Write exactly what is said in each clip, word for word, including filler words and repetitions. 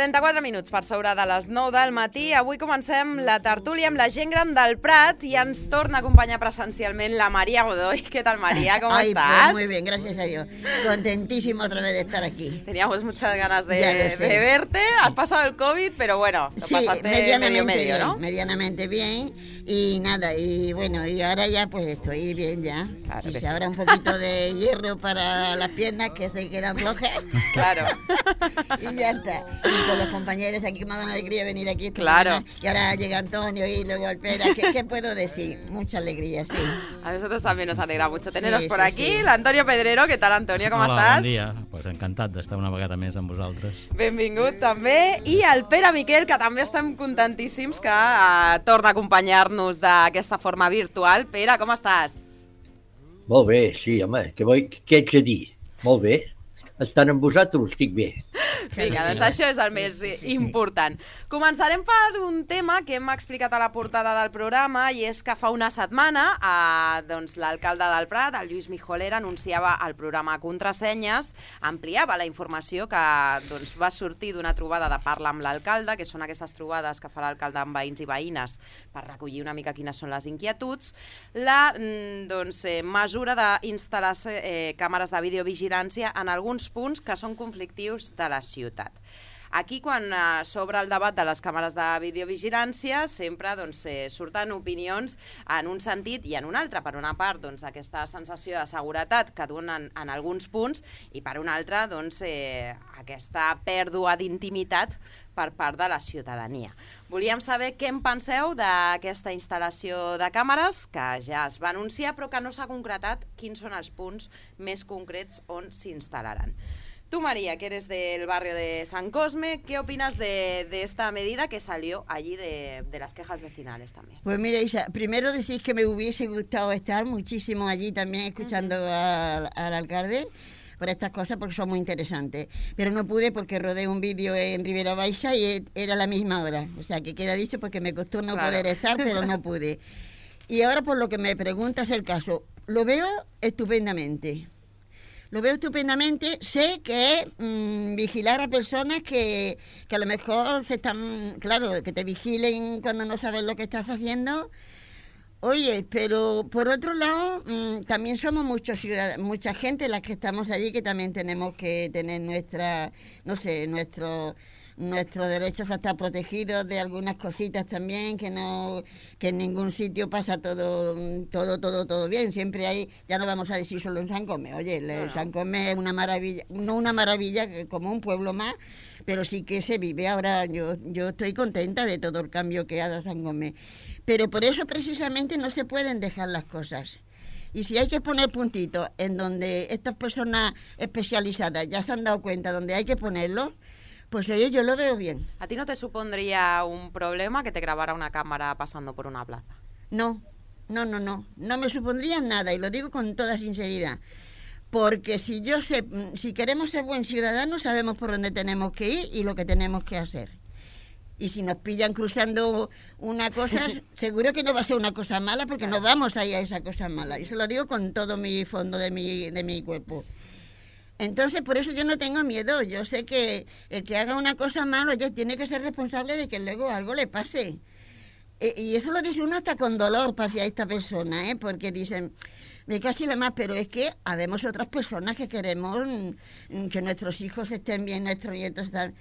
trenta-quatre minuts per sobre de les nou del matí. Avui comencem la tertúlia amb la gent gran del Prat i ens torna a acompanyar presencialment la María Godoy. ¿Qué tal, María? ¿Cómo Ay, estás? Pues muy bien, gracias a Dios. Contentísima otra vez de estar aquí. Teníamos muchas ganas de, de verte. Has pasado el COVID, pero bueno, lo sí, pasaste medianamente medio medio, bien, ¿no? Medianamente bien. Y nada, y bueno, y ahora ya pues estoy bien ya. Claro si que se sí. abra un poquito de hierro para las piernas que se quedan flojas. Claro. Y ya está. Y con los compañeros aquí me ha dado una alegría venir aquí. Claro. Mañana. Y ahora llega Antonio y luego Alpera. ¿Qué, ¿Qué puedo decir? Mucha alegría, sí. A nosotros también nos alegra mucho teneros Sí, por sí, aquí. sí. El Antonio Pedrero, ¿qué tal, Antonio? Com Hola, estàs? bon dia. Pues encantat d'estar una vegada més amb vosaltres. Benvingut també. I el Pere Miquel, que també estem contentíssims que uh, torna a acompanyar-nos d'aquesta forma virtual. Pere, com estàs? Molt bé, sí, home, què, vull, què ets a dir? Molt bé. Estant amb vosaltres estic bé. Vinga, doncs això és el més important. Començarem per un tema que hem explicat a la portada del programa i és que fa una setmana eh, doncs, l'alcalde del Prat, el Lluís Mijolera, anunciava el programa Contrasenyes, ampliava la informació que doncs, va sortir d'una trobada de Parla amb l'alcalde, que són aquestes trobades que fa l'alcalde amb veïns i veïnes per recollir una mica quines són les inquietuds. La doncs, eh, mesura d'instal·lar eh, càmeres de videovigilància en alguns punts que són conflictius de la ciutat. Aquí, quan eh, s'obre el debat de les càmeres de videovigilància, sempre doncs, eh, surten opinions en un sentit i en un altre. Per una part, doncs, aquesta sensació de seguretat que donen en alguns punts i per una altra, doncs, eh, aquesta pèrdua d'intimitat per part de la ciutadania. Volíem saber què en penseu d'aquesta instal·lació de càmeres, que ja es va anunciar, però que no s'ha concretat quins són els punts més concrets on s'instal·laran. Tú, María, que eres del barrio de San Cosme, ¿qué opinas de, de esta medida que salió allí de, de las quejas vecinales también? Pues mira, Isa, primero decís que me hubiese gustado estar muchísimo allí también escuchando uh-huh. al, al alcalde por estas cosas porque son muy interesantes. Pero no pude porque rodé un vídeo en Ribera Baixa y era la misma hora. O sea, que queda dicho porque me costó no claro. poder estar, pero no pude. Y ahora por lo que me preguntas el caso, lo veo estupendamente. Lo veo estupendamente, sé que mmm, vigilar a personas que, que a lo mejor se están, claro, que te vigilen cuando no sabes lo que estás haciendo. Oye, pero por otro lado, mmm, también somos muchos ciudadanos, mucha gente las que estamos allí que también tenemos que tener nuestra, no sé, nuestro... nuestros derechos a estar protegidos de algunas cositas también, que no que en ningún sitio pasa todo todo todo todo bien, siempre hay, ya no vamos a decir solo en San Cosme, oye, el San Cosme es una maravilla, no una maravilla como un pueblo más, pero sí que se vive. Ahora yo yo estoy contenta de todo el cambio que ha dado San Cosme, pero por eso precisamente no se pueden dejar las cosas. Y si hay que poner puntitos en donde estas personas especializadas ya se han dado cuenta donde hay que ponerlo, pues oye, yo lo veo bien. ¿A ti no te supondría un problema que te grabara una cámara pasando por una plaza? No, no, no, no. No me supondría nada, y lo digo con toda sinceridad. Porque si yo sé, si queremos ser buen ciudadanos, sabemos por dónde tenemos que ir y lo que tenemos que hacer. Y si nos pillan cruzando una cosa, seguro que no va a ser una cosa mala, porque no vamos a ir a esa cosa mala. Y se lo digo con todo mi fondo de mi, de mi cuerpo. Entonces, por eso yo no tengo miedo. Yo sé que el que haga una cosa mala ya tiene que ser responsable de que luego algo le pase. E, y eso lo dice uno hasta con dolor hacia esta persona, ¿eh? Porque dicen, me casi la más, pero es que habemos otras personas que queremos mm, que nuestros hijos estén bien, nuestros nietos están...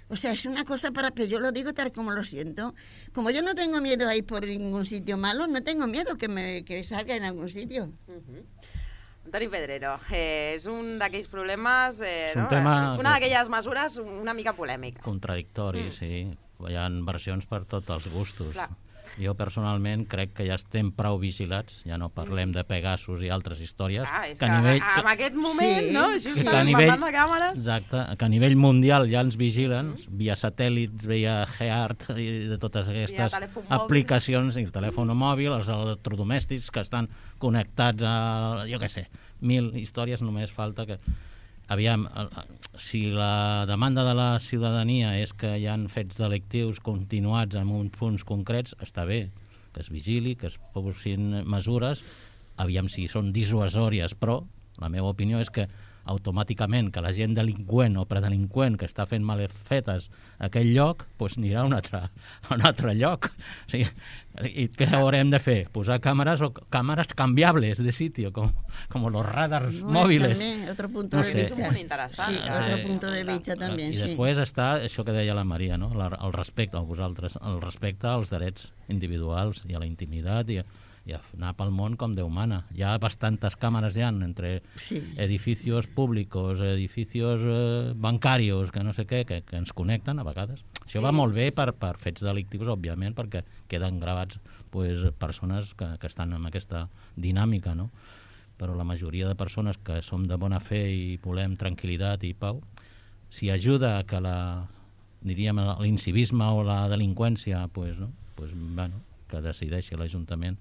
O sea, es una cosa para... Pero yo lo digo tal como lo siento. Como yo no tengo miedo a ir por ningún sitio malo, no tengo miedo que me que salga en algún sitio. Uh-huh. Antoni Pedrero, eh, és un d'aquells problemes, eh, no? tema una d'aquelles mesures una mica polèmica. Contradictori, mm. sí. Hi ha versions per tots els gustos. Clar. Jo personalment crec que ja estem prou vigilats, ja no parlem de Pegasus i altres històries. Ah, és que, que a nivell, en aquest moment, sí, no? Just que a parlant nivell, de càmeres... Exacte, que a nivell mundial ja ens vigilen, mm. via satèl·lits, via Geart i de totes aquestes aplicacions, i el telèfon mòbil, els electrodomèstics que estan connectats a, jo què sé, mil històries, només falta que... Aviam, si la demanda de la ciutadania és que hi ha fets delictius continuats en uns punts concrets, està bé, que es vigili, que es posin mesures, aviam si són dissuasòries, però la meva opinió és que automàticament que la gent delinqüent o predelinqüent que està fent malfetes a aquell lloc, doncs anirà a un altre, a un altre lloc. O sigui, i què haurem de fer? Posar càmeres o càmeres canviables de sitio, com, com los radars no, mòbils. També, otro punto No de sé. vista. És un punt interessant. Sí, eh? otro punto de vista també, I sí. després està això que deia la Maria, no? La, el respecte a vosaltres, el respecte als drets individuals i a la intimitat i a, i a anar pel món com Déu mana. Hi ha bastantes càmeres ja entre Sí. edificios públicos, edificios eh, bancarios, que no sé què, que, que ens connecten a vegades. Això Sí, va molt bé sí, sí. per, per fets delictius, òbviament, perquè queden gravats pues, persones que, que estan en aquesta dinàmica, no? Però la majoria de persones que som de bona fe i volem tranquil·litat i pau, si ajuda a que la, diríem, l'incivisme o la delinqüència, pues, no? Pues, bueno, que decideixi l'Ajuntament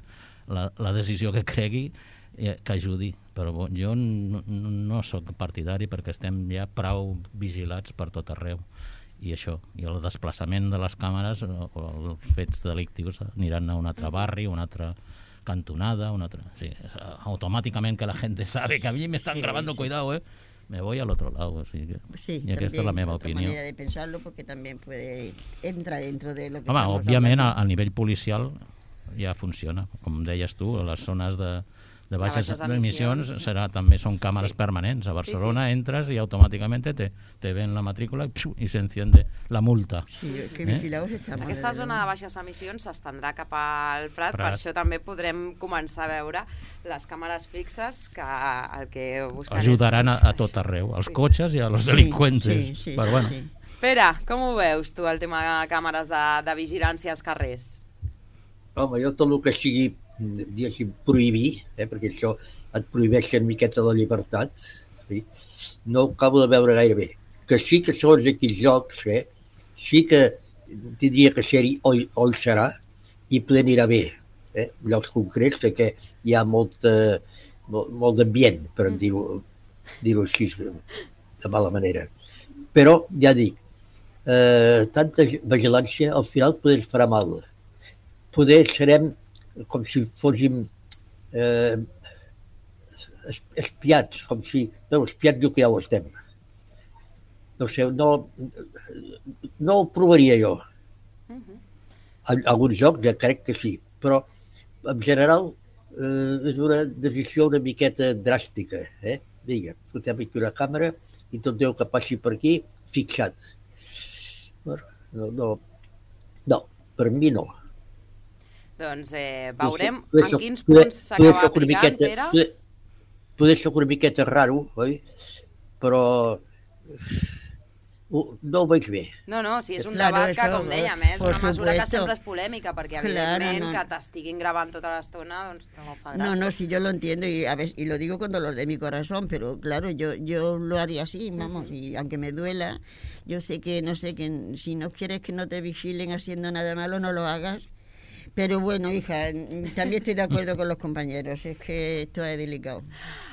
la, la decisió que cregui, eh, que ajudi. Però bo, jo no, no, no sóc partidari perquè estem ja prou vigilats per tot arreu. I això, i el desplaçament de les càmeres o, o els fets delictius aniran a un altre barri, una altra cantonada, una altra... Sí, automàticament que la gent sabe que a mi me están Sí, grabando, sí. cuidado, eh? Me voy al otro lado. Así que, Sí, y aquesta és la meva otra opinió. manera de pensarlo porque también puede entra dentro de lo que Home, estamos òbviament, a, hablando. a nivell policial ja funciona. Com deies tu, a les zones de, de baixes baixes emissions emissions. serà, també són càmeres Sí. permanents. A Barcelona Sí, sí. entres i automàticament te, te ven la matrícula i, psiu, i se enciende la multa. Sí, que Eh? vigilados estamos. Aquesta desde zona de luego. baixes emissions s'estendrà cap al Prat, Prat. per això també podrem començar a veure les càmeres fixes que el que busquen Ajudaran a, és... a tot arreu, als Sí. cotxes i a los delinqüentes. Sí, sí, Però bueno, sí. Pere, com ho veus tu, el tema de càmeres de, de vigilància als carrers? Home, jo tot el que sigui, diguéssim, prohibir, eh, perquè això et prohibeix una miqueta la llibertat, sí, no ho acabo de veure gaire bé. Que sí que segons aquells jocs, eh, sí que tindria que ser-hi o, o hi serà i poder anirà bé. Eh? Llocs concrets sé que hi ha molt, eh, molt, molt d'ambient, per mm. dir-ho dir així, de mala manera. Però, ja dic, eh, tanta vigilància al final poder ens farà mal. Poder serem com si fóssim eh, espiats, com si... No, espiats diu que ja ho estem. No sé, no, no ho provaria jo. En alguns jocs ja crec que sí, però en general eh, és una decisió una miqueta dràstica. Eh? Vinga, fotem aquí una càmera i tot Déu que passi per aquí, fixat. No, no, no, per mi no. Doncs eh, veurem Poder en soc- quins poder- punts poder s'acaba soc una aplicant, miqueta- Pere. Poder, poder soc una miqueta raro, oi? Però uh, no ho veig bé. No, no, sí, és un Claro, debat que, eso, com dèiem, eh, és por una mesura que supuesto. sempre és polèmica, perquè Claro, evidentment no. que t'estiguin gravant tota l'estona, doncs no fa gràcia. No, no, sí, yo lo entiendo y a ver, y lo digo con dolor de mi corazón, pero claro, yo yo lo haría así, vamos, y aunque me duela, yo sé que, no sé, que si no quieres que no te vigilen haciendo nada malo, no lo hagas. Pero bueno, hija, también estoy de acuerdo con los compañeros, es que esto es delicado.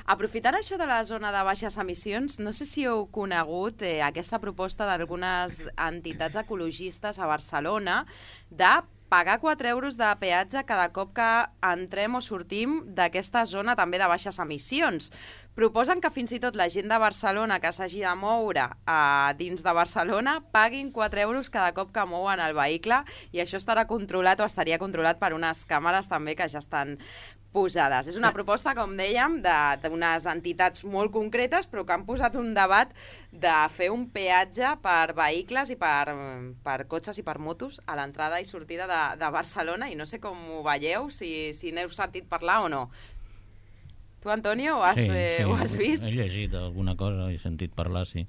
Aprofitant això de la zona de baixes emissions, no sé si heu conegut eh, aquesta proposta d'algunes entitats ecologistes a Barcelona de pagar quatre euros de peatge cada cop que entrem o sortim d'aquesta zona també de baixes emissions. Proposen que fins i tot la gent de Barcelona que s'hagi de moure a dins de Barcelona paguin quatre euros cada cop que mouen el vehicle i això estarà controlat o estaria controlat per unes càmeres també que ja estan posades. És una proposta, com dèiem, d'unes entitats molt concretes, però que han posat un debat de fer un peatge per vehicles i per, per cotxes i per motos a l'entrada i sortida de, de Barcelona, i no sé com ho veieu, si, si n'heu sentit parlar o no. Tu, Antonio, ho has, sí, eh, sí, ho has vist? He llegit alguna cosa, he sentit parlar, sí.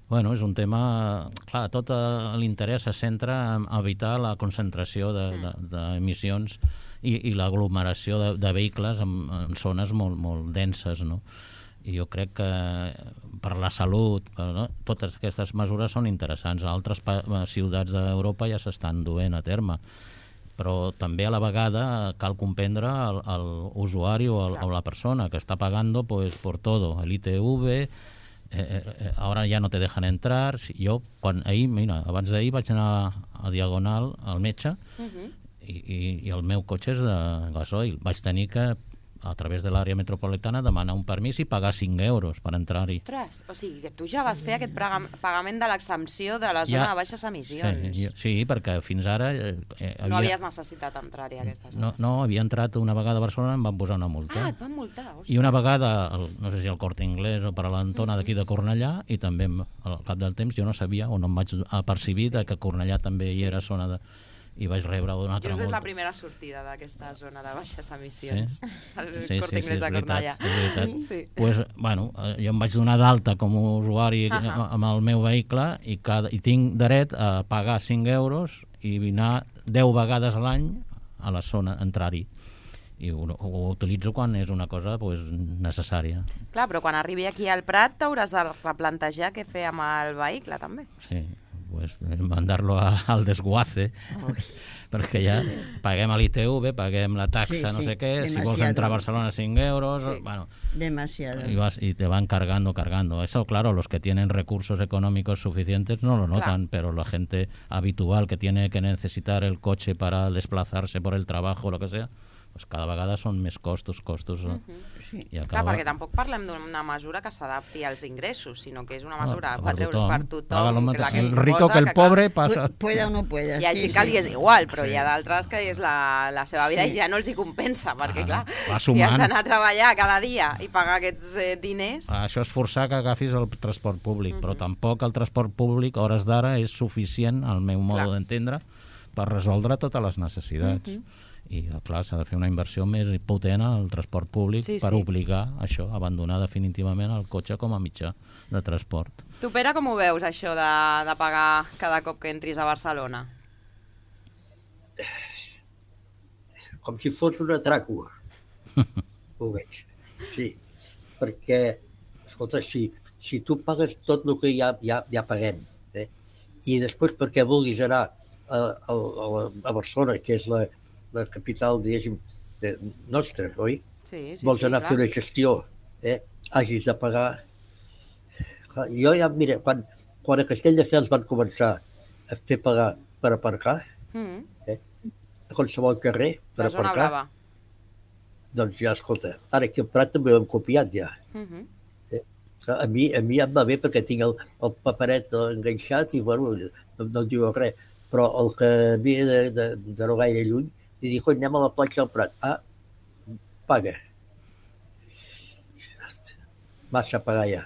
Bueno, és un tema... Clar, tot eh, l'interès se centra en evitar la concentració d'emissions de, de, i, i l'aglomeració de, de vehicles en, en zones molt, molt denses, no? I jo crec que per la salut, per, no? totes aquestes mesures són interessants. A altres ciutats d'Europa ja s'estan duent a terme, però també a la vegada cal comprendre l'usuari o, el, o la persona que està pagando pues, por todo, el I T V, eh, eh, ara ja no te dejan entrar. Jo, quan ahir, mira, abans d'ahir vaig anar a Diagonal al metge uh-huh. i, i, i el meu cotxe és de gasoil. Vaig tenir que a través de l'àrea metropolitana, demanar un permís i pagar cinc euros per entrar-hi. Ostres, o sigui que tu ja vas fer aquest pagament de l'exempció de la zona ja, de baixes emissions. Sí, sí, perquè fins ara... Eh, havia... No havies necessitat entrar-hi a aquestes zones. No, no, havia entrat una vegada a Barcelona i em van posar una multa. Ah, et van multar, ostres. I una vegada, el, no sé si al Corte Inglés o per a l'Antona d'aquí de Cornellà, i també al cap del temps jo no sabia o no em vaig apercibir sí. que Cornellà també hi era zona de... i vaig rebre una altra multa. Just és la primera sortida d'aquesta zona de baixes emissions. Sí? El sí, Corte sí, Inglés sí, de Cornellà. És veritat. Sí. Pues, bueno, jo em vaig donar d'alta com a usuari uh -huh. amb el meu vehicle i, cada, i tinc dret a pagar cinc euros i anar deu vegades a l'any a la zona, entrar-hi. I ho, ho utilitzo quan és una cosa pues, necessària. Clar, però quan arribi aquí al Prat t'hauràs de replantejar què fer amb el vehicle, també. Sí, pues mandar-lo a, al desguace, oh. perquè ja paguem a l'I T V, paguem la taxa, sí, sí, no sé què, demasiado. Si vols entrar a Barcelona cinc euros, sí. bueno, demasiado. Y, vas, y te van cargando, cargando. Eso, claro, los que tienen recursos económicos suficientes no lo notan, claro. Pero la gente habitual que tiene que necesitar el coche para desplazarse por el trabajo, lo que sea, pues cada vegada són més costos, costos... Uh -huh. Sí. Acaba... Clar, perquè tampoc parlem d'una mesura que s'adapti als ingressos, sinó que és una mesura de quatre euros per tothom. Que la que el rico que el que, pobre passa... Pueda o no pueda. Hi ha gent sí, que li és igual, però sí. Hi ha d'altres que és la, la seva vida sí. I ja no els hi compensa, perquè ah, clar, si has d'anar a treballar cada dia i pagar aquests eh, diners... Ah, això és forçar que agafis el transport públic, uh -huh. però tampoc el transport públic, a hores d'ara, és suficient, al meu modo d'entendre, per resoldre totes les necessitats. Uh -huh. I, clar, s'ha de fer una inversió més potent al transport públic sí, per sí. Obligar això, a abandonar definitivament el cotxe com a mitjà de transport. Tu, Pere, com ho veus, això de, de pagar cada cop que entris a Barcelona? Com si fos una tràcula. Ho veig. Sí, perquè, escolta, si, si tu pagues tot el que ja, ja, ja paguem, eh? I després perquè vulguis anar a, a, a Barcelona, que és la la capital, diguéssim, de, nostra, oi? Sí, sí, vols sí, anar clar. A fer una gestió, eh? Hagis de pagar... Jo ja, mira, quan, quan a Castelldefels van començar a fer pagar per aparcar, mm. eh? A qualsevol carrer, per la zona aparcar, blava. Doncs ja, escolta, ara aquí al Prat també ho hem copiat ja. Mm -hmm. eh? a, mi, a mi ja em va bé perquè tinc el, el paperet enganxat i, bueno, no, no diu res, però el que havia de, de, de no gaire lluny, i dic, anem a la platja del Prat. Ah, paga. Massa pagar ja.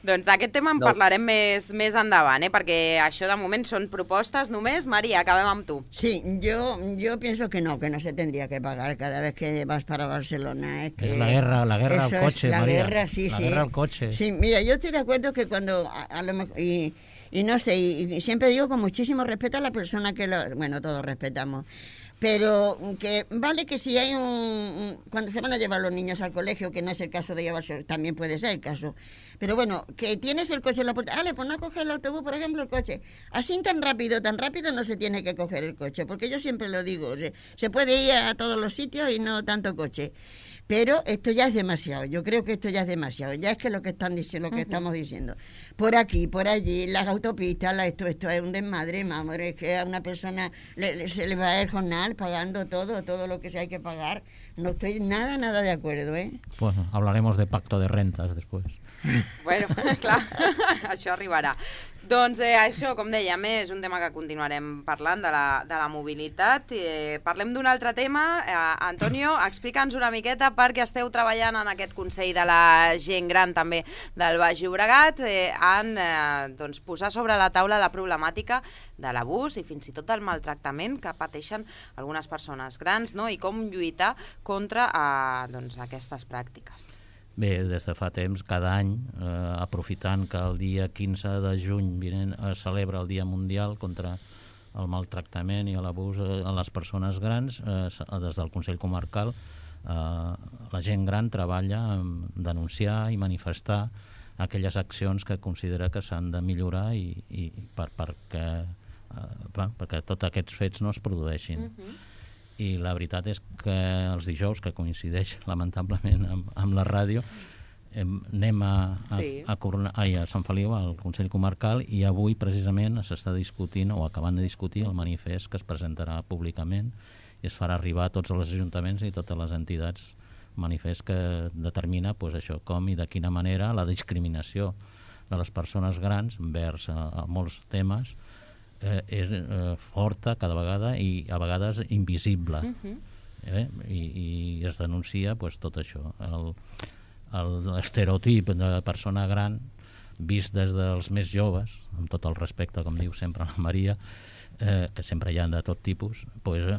Doncs d'aquest tema en no. parlarem més, més endavant, eh? Perquè això de moment són propostes només. Maria, acabem amb tu. Sí, yo, yo pienso que no, que no se tendría que pagar cada vez que vas para Barcelona. Es, que es la guerra, la guerra al coche, la María. Guerra, sí, la sí. guerra al coche. Sí, mira, yo estoy de acuerdo que cuando a, a lo mejor... Y, Y no sé, y, y siempre digo con muchísimo respeto a la persona que lo... Bueno, todos respetamos. Pero que vale que si hay un, un... Cuando se van a llevar los niños al colegio, que no es el caso de llevarse, también puede ser el caso. Pero bueno, que tienes el coche en la puerta. Ale, pues no coges el autobús, por ejemplo, el coche. Así tan rápido, tan rápido no se tiene que coger el coche. Porque yo siempre lo digo, se, se puede ir a todos los sitios y no tanto coche. Pero esto ya es demasiado, yo creo que esto ya es demasiado, ya es que lo que están diciendo, lo que uh-huh. estamos diciendo, por aquí, por allí, las autopistas, la, esto, esto es un desmadre, madre, es que a una persona le, le, se le va el jornal pagando todo, todo lo que se hay que pagar, no estoy nada, nada de acuerdo, ¿eh? Pues hablaremos de pacto de rentas después. Bueno, clar, això arribarà. Doncs eh, això, com dèiem, és un tema que continuarem parlant de la, de la mobilitat. Eh, parlem d'un altre tema. Eh, Antonio, explica'ns una miqueta perquè esteu treballant en aquest Consell de la Gent Gran també del Baix Llobregat eh, en eh, doncs, posar sobre la taula la problemàtica de l'abús i fins i tot el maltractament que pateixen algunes persones grans, no? I com lluitar contra eh, doncs, aquestes pràctiques. Bé, des de fa temps, cada any, eh, aprofitant que el dia quinze de juny vinent, es celebra el Dia Mundial contra el maltractament i l'abús a les persones grans, eh, des del Consell Comarcal, eh, la gent gran treballa en denunciar i manifestar aquelles accions que considera que s'han de millorar i, i per, perquè, eh, perquè tots aquests fets no es produeixin. Uh-huh. I la veritat és que els dijous, que coincideix lamentablement amb, amb la ràdio, eh, anem a, a, sí. a, a, ai, a Sant Feliu, al Consell Comarcal, i avui precisament s'està discutint o acabant de discutir el manifest que es presentarà públicament i es farà arribar a tots els ajuntaments i totes les entitats manifest que determina pues, això, com i de quina manera la discriminació de les persones grans envers a, a molts temes eh, és eh, forta cada vegada i a vegades invisible. Uh-huh. eh? I, I es denuncia pues, tot això. L'estereotip de persona gran vist des dels més joves, amb tot el respecte, com diu sempre la Maria, eh, que sempre hi ha de tot tipus, pues, eh,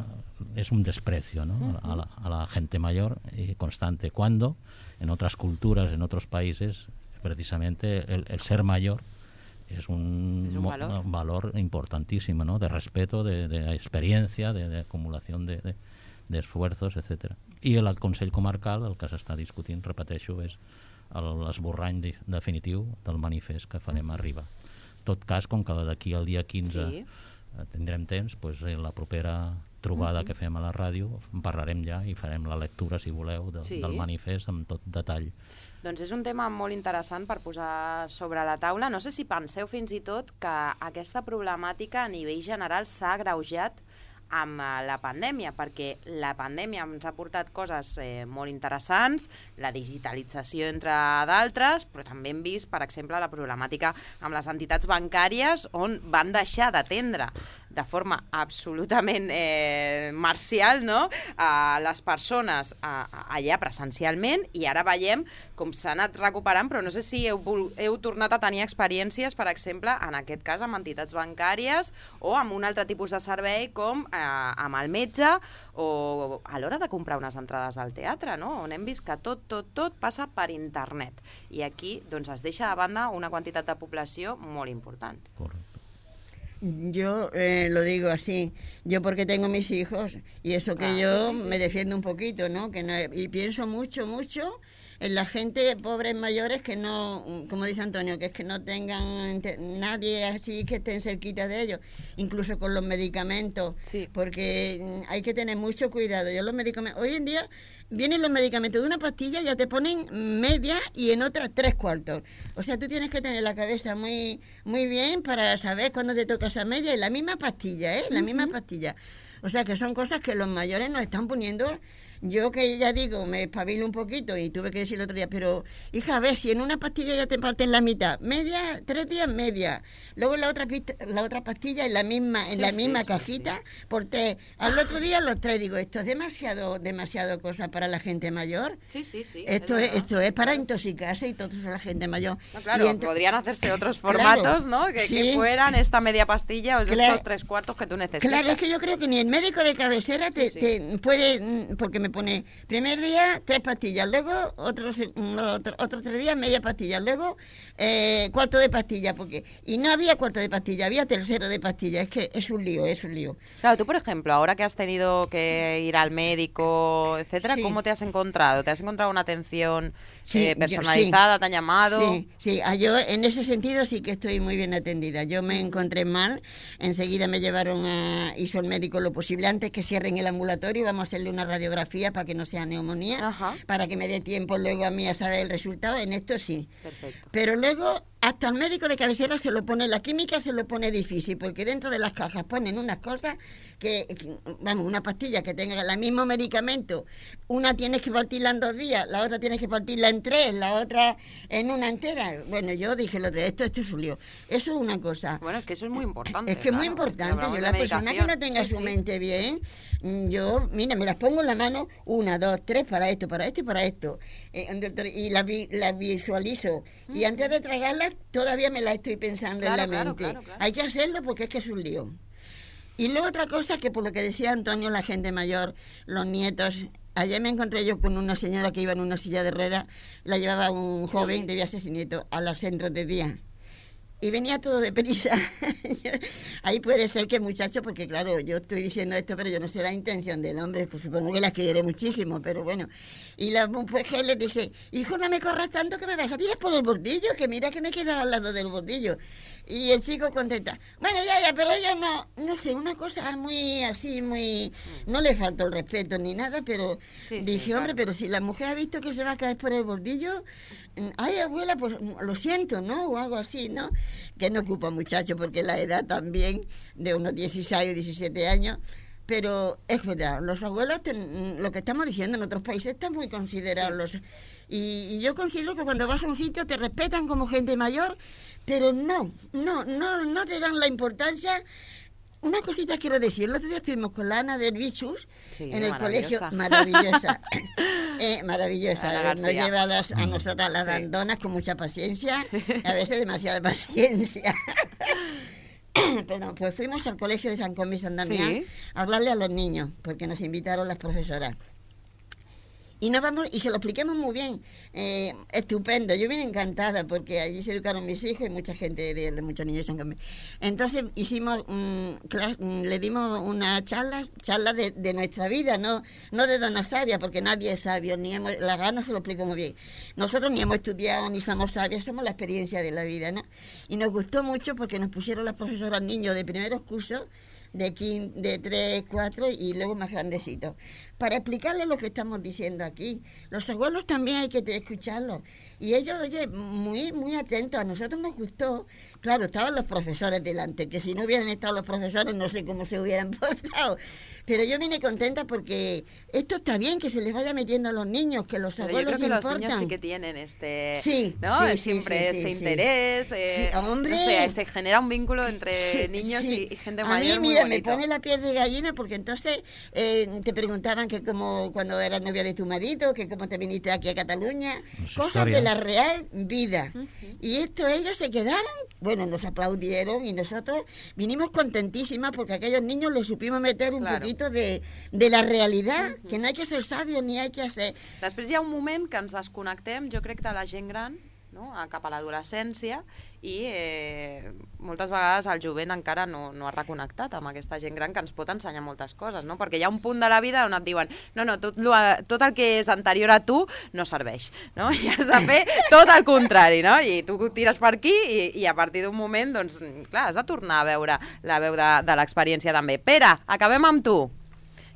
es un desprecio, ¿no? Uh-huh. a, la, a la gente mayor y constante, cuando en otras culturas, en otros países, precisamente el, el ser mayor es un, es un, valor. un valor importantísimo, ¿no? De respeto, de, de experiencia, de, de acumulación de, de, de esfuerzos, etcétera. I el Consell Comarcal, el que s'està discutint, repeteixo, és l'esborrany de, definitiu del manifest que farem arribar. En tot cas, com que d'aquí al dia quinze sí. tindrem temps, pues, la propera trobada uh-huh. que fem a la ràdio en parlarem ja i farem la lectura, si voleu, de, sí. del manifest amb tot detall. Doncs és un tema molt interessant per posar sobre la taula. No sé si penseu fins i tot que aquesta problemàtica a nivell general s'ha agreujat amb la pandèmia, perquè la pandèmia ens ha portat coses eh, molt interessants, la digitalització entre d'altres, però també hem vist, per exemple, la problemàtica amb les entitats bancàries on van deixar d'atendre de forma absolutament eh, marcial, no?, a les persones a, a, allà presencialment, i ara veiem com s'ha anat recuperant, però no sé si heu, heu tornat a tenir experiències, per exemple, en aquest cas amb entitats bancàries o amb un altre tipus de servei com eh, amb el metge o a l'hora de comprar unes entrades al teatre, no?, on hem vist que tot, tot, tot passa per internet. I aquí doncs, es deixa a banda una quantitat de població molt important. Correcte. Yo eh, lo digo así, yo porque tengo mis hijos y eso que ah, yo sí, sí. me defiendo un poquito, ¿no? Que no, y pienso mucho, mucho en la gente, pobres mayores, que no, como dice Antonio, que es que no tengan nadie así que estén cerquita de ellos, incluso con los medicamentos, sí. porque hay que tener mucho cuidado. Yo los medicamentos, hoy en día vienen los medicamentos de una pastilla, ya te ponen media y en otra tres cuartos. O sea, tú tienes que tener la cabeza muy muy bien para saber cuándo te toca esa media y la misma pastilla, ¿eh? La uh-huh. misma pastilla. O sea, que son cosas que los mayores nos están poniendo. Yo que ya digo, me espabilo un poquito y tuve que decir el otro día, pero hija, a ver, si en una pastilla ya te parten la mitad, media, tres días media, luego la otra la otra pastilla en la misma en sí, la misma sí, cajita sí, sí. por tres, al otro día los tres, digo, esto es demasiado demasiado cosa para la gente mayor. Sí, sí, sí. Esto es, es esto es para intoxicarse y todo eso la gente mayor. No, claro, ent- podrían hacerse otros formatos, claro, ¿no? Que, sí. que fueran esta media pastilla o claro, estos tres cuartos que tú necesitas. Claro, es que yo creo que ni el médico de cabecera te, sí, sí. te puede, porque me pone primer día tres pastillas, luego otros otro, otros tres días media pastilla, luego eh, cuarto de pastilla, porque y no había cuarto de pastilla, había tercero de pastilla. Es que es un lío, es un lío. Claro, tú por ejemplo, ahora que has tenido que ir al médico, etcétera, sí. ¿cómo te has encontrado? ¿Te has encontrado una atención sí, eh, personalizada? Yo, sí. ¿Te han llamado? Sí, sí, yo en ese sentido sí que estoy muy bien atendida. Yo me encontré mal, enseguida me llevaron a, hizo el médico lo posible antes que cierren el ambulatorio, vamos a hacerle una radiografía para que no sea neumonía, ajá. para que me dé tiempo luego a mí a saber el resultado. En esto sí. Perfecto. Pero luego hasta el médico de cabecera se lo pone, la química se lo pone difícil, porque dentro de las cajas ponen unas cosas que, que vamos, una pastilla que tenga el mismo medicamento, una tienes que partirla en dos días, la otra tienes que partirla en tres, la otra en una entera. Bueno, yo dije lo de esto, esto es un lío. Eso es una cosa. Bueno, es que eso es muy importante. Es que claro, es muy importante. Yo, la persona que no tenga sí, su sí. mente bien, yo, mira, me las pongo en la mano, una, dos, tres, para esto, para esto y para esto. Eh, y las la visualizo. Mm. Y antes de tragarlas, todavía me la estoy pensando claro, en la claro, mente. Claro, claro. Hay que hacerlo porque es que es un lío. Y luego otra cosa que por lo que decía Antonio, la gente mayor, los nietos. Ayer me encontré yo con una señora que iba en una silla de ruedas, la llevaba un joven, sí. debía ser su nieto, a los centros de día. Y venía todo deprisa. Ahí puede ser que el muchacho, porque claro, yo estoy diciendo esto, pero yo no sé la intención del hombre, pues supongo que la quiere muchísimo, pero bueno. Y la mujer le dice, hijo, no me corras tanto que me vas a tirar por el bordillo, que mira que me he quedado al lado del bordillo. Y el chico contesta, bueno, ya, ya, pero ella no, no sé, una cosa muy así, muy... No le faltó el respeto ni nada, pero sí, dije, sí, hombre, claro. pero si la mujer ha visto que se va a caer por el bordillo, ay, abuela, pues lo siento, ¿no? O algo así, ¿no? Que no ocupa muchacho, porque la edad también, de unos dieciséis o diecisiete años, pero es verdad, los abuelos, ten, lo que estamos diciendo en otros países está muy considerado. Sí. Los, y, y yo considero que cuando vas a un sitio te respetan como gente mayor, pero no, no, no, no te dan la importancia. Una cosita quiero decir, el otro día estuvimos con la Ana del Bichus sí, en el colegio, maravillosa, eh, maravillosa, nos lleva a, las, a nosotras las sí. dandonas con mucha paciencia, a veces demasiada paciencia. Perdón, pues fuimos al colegio de San Comí San Damián sí. a hablarle a los niños, porque nos invitaron las profesoras. Y nos vamos, y se lo expliquemos muy bien, eh, estupendo, yo vine encantada porque allí se educaron mis hijos y mucha gente, de, de muchos niños de San Comí. Entonces hicimos, um, clase, um, le dimos una charla, charla de, de nuestra vida, no, no de dona sabia, porque nadie es sabio, ni hemos, la gana se lo explico muy bien. Nosotros ni hemos estudiado ni somos sabios, somos la experiencia de la vida, ¿no? Y nos gustó mucho porque nos pusieron las profesoras niños de primeros cursos, de, quince, de tres, cuatro y luego más grandecitos, para explicarles lo que estamos diciendo aquí. Los abuelos también hay que escucharlos. Y ellos, oye, muy, muy atentos. A nosotros nos gustó. Claro, estaban los profesores delante, que si no hubieran estado los profesores no sé cómo se hubieran portado. Pero yo vine contenta porque esto está bien, que se les vaya metiendo a los niños, que los Pero abuelos yo creo que importan. Los niños sí que tienen este, sí, ¿no? Sí, siempre sí, sí, este sí, interés. Sí. Eh, sí, hombre. No sé, se genera un vínculo entre sí, niños sí. Y, y gente a mayor. A mí, mira, muy me pone la piel de gallina porque entonces eh, te preguntaban que como cuando eras novia de tu marido, que cómo te viniste aquí a Cataluña, pues cosas historia. De la real vida. Uh-huh. Y esto ellos se quedaron, bueno, nos aplaudieron y nosotros vinimos contentísimas porque a aquellos niños les supimos meter un claro. poquito de, de la realidad, uh-huh. que no hay que ser sabios ni hay que hacer... Després hi ha un moment que ens desconnectem, jo crec, de la gent gran, no? Cap a l'adolescència, i eh, moltes vegades el jovent encara no, no ha reconnectat amb aquesta gent gran que ens pot ensenyar moltes coses, no? Perquè hi ha un punt de la vida on et diuen no, no, tot, tot el que és anterior a tu no serveix, no? I has de fer tot el contrari, no? I tu tires per aquí i, i a partir d'un moment, doncs, clar, has de tornar a veure la veu de, de l'experiència també. Pere, acabem amb tu.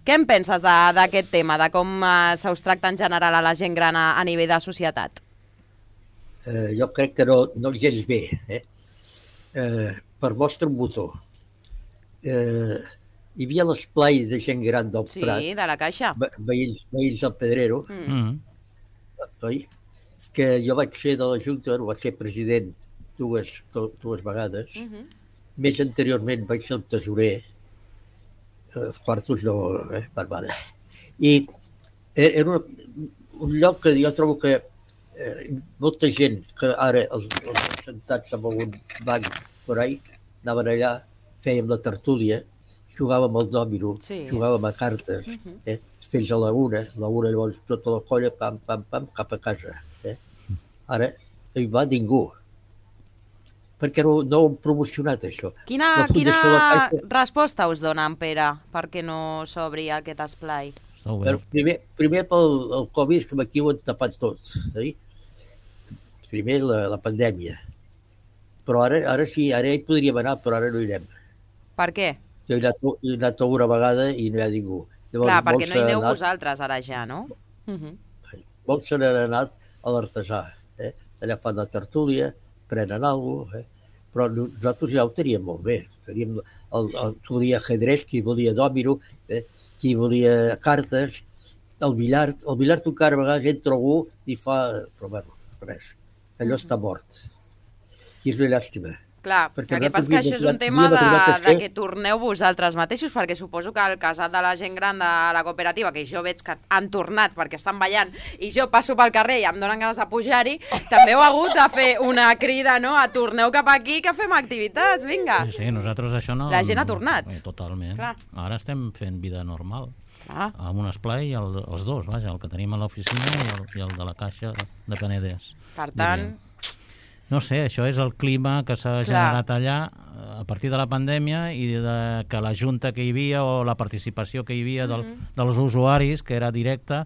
Què en penses d'aquest tema, de com eh, se us tracta en general a la gent gran a, a nivell de societat? Eh, jo crec que no, no gens bé. Eh? Eh, per mostra un botó. Eh, hi havia l'esplai de gent gran del sí, Prat. Sí, de la Caixa. Veïns, veïns del Pedrero. Mm. Oi? Que jo vaig ser de la Junta, vaig ser president dues, to, dues vegades. Mm-hmm. Més anteriorment vaig ser el tesorer. Els quartos no... Eh, barbada. I era una, un lloc que jo trobo que eh, molta gent que ara els, els sentats amb algun banc per ahí anaven allà, fèiem la tertúlia, jugàvem al dòmino, sí. Jugàvem a cartes, uh-huh. eh, fins a la una, la una llavors tota la colla, pam, pam, pam, cap a casa. Eh. Ara no hi va ningú, perquè no, no ho hem promocionat, això. Quina, quina Caixa... resposta us dona en Pere perquè no s'obri aquest esplai? Primer, primer pel el Covid, que aquí ho han tapat tot. Eh? Primer la, la pandèmia. Però ara, ara sí, ara hi podríem anar, però ara no hi anem. Per què? Jo he anat, he anat una vegada i no hi ha ningú. Llavors, clar, perquè no hi aneu anat... vosaltres ara ja, no? Uh-huh. Molts se n'han anat a l'artesà. Eh? Allà fan la tertúlia, prenen alguna cosa, eh? Però nosaltres ja ho teníem molt bé. Teníem el, el, qui volia ajedrez, qui volia dòmino, eh? Qui volia cartes, el billard. El billard encara a vegades entra algú i fa... Però bueno, res. Allò està mort. I és una llàstima. Clar, perquè el que passa que això és un tema de, de que torneu vosaltres mateixos, perquè suposo que el casat de la gent gran de la cooperativa, que jo veig que han tornat perquè estan ballant, i jo passo pel carrer i em donen ganes de pujar-hi, també heu hagut de fer una crida, no?, a torneu cap aquí que fem activitats, vinga. Sí, sí, nosaltres això no... La gent ha tornat. Totalment. Clar. Ara estem fent vida normal. Ah. Amb un esplai, el, els dos, vaja, el que tenim a l'oficina i, el, i el de la Caixa de Penedès. Per tant... Diríem. No sé, això és el clima que s'ha generat allà a partir de la pandèmia i de que la junta que hi havia o la participació que hi havia del, mm-hmm. dels usuaris, que era directa,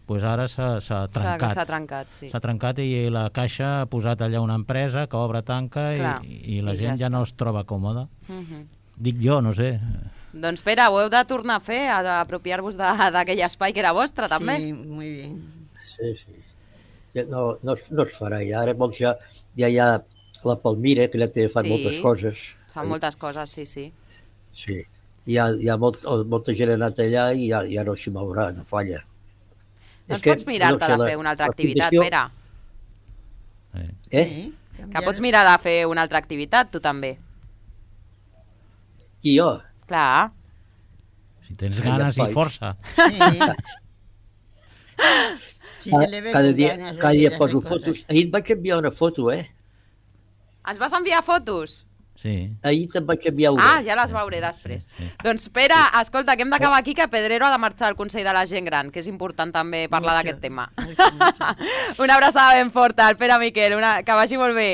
pues ara s'ha trencat. S'ha trencat, sí. S'ha trencat i la Caixa ha posat allà una empresa que obre, tanca i, i la I gent ja, ja no es troba còmoda. Mm-hmm. Dic jo, no sé. Doncs Pere, ho heu de tornar a fer, a apropiar-vos d'aquell espai que era vostre, també. Sí, molt bé. Sí, sí. No, no, no es farà, ja. Ara molts ja, ja hi ha la Palmira, que ja té fan sí, moltes coses. Fan moltes coses, sí, sí. Sí, hi ha, hi ha molt, molta gent ha anat allà i ja, ja no s'hi mourà, no falla. Doncs pots mirar-te de fer una altra activitat, Pere. Eh? Que pots mirar de fer una altra activitat, tu també. Qui, jo? Clar. Si tens ganes i força. Sí. Cada dia, cada dia poso fotos. Ahir et vaig enviar una foto, eh? Ens vas enviar fotos? Sí. Ahir te'n vaig enviar una. Ah, ja les veuré després. Sí, sí. Doncs, Pere, escolta, que hem d'acabar aquí, que Pedrero ha de marxar al Consell de la Gent Gran, que és important també parlar d'aquest tema. Mucho, mucho. Una abraçada ben forta al Pere Miquel, una... que vagi molt bé.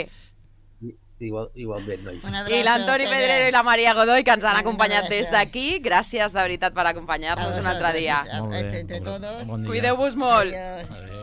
Igual, igualment, noi. I l'Antoni Pedrero i la Maria Godoy, que ens han acompanyat des d'aquí. Gràcies, de veritat, per acompanyar-nos un altre dia. Molt bé. Entre todos. Cuideu-vos molt. Adiós.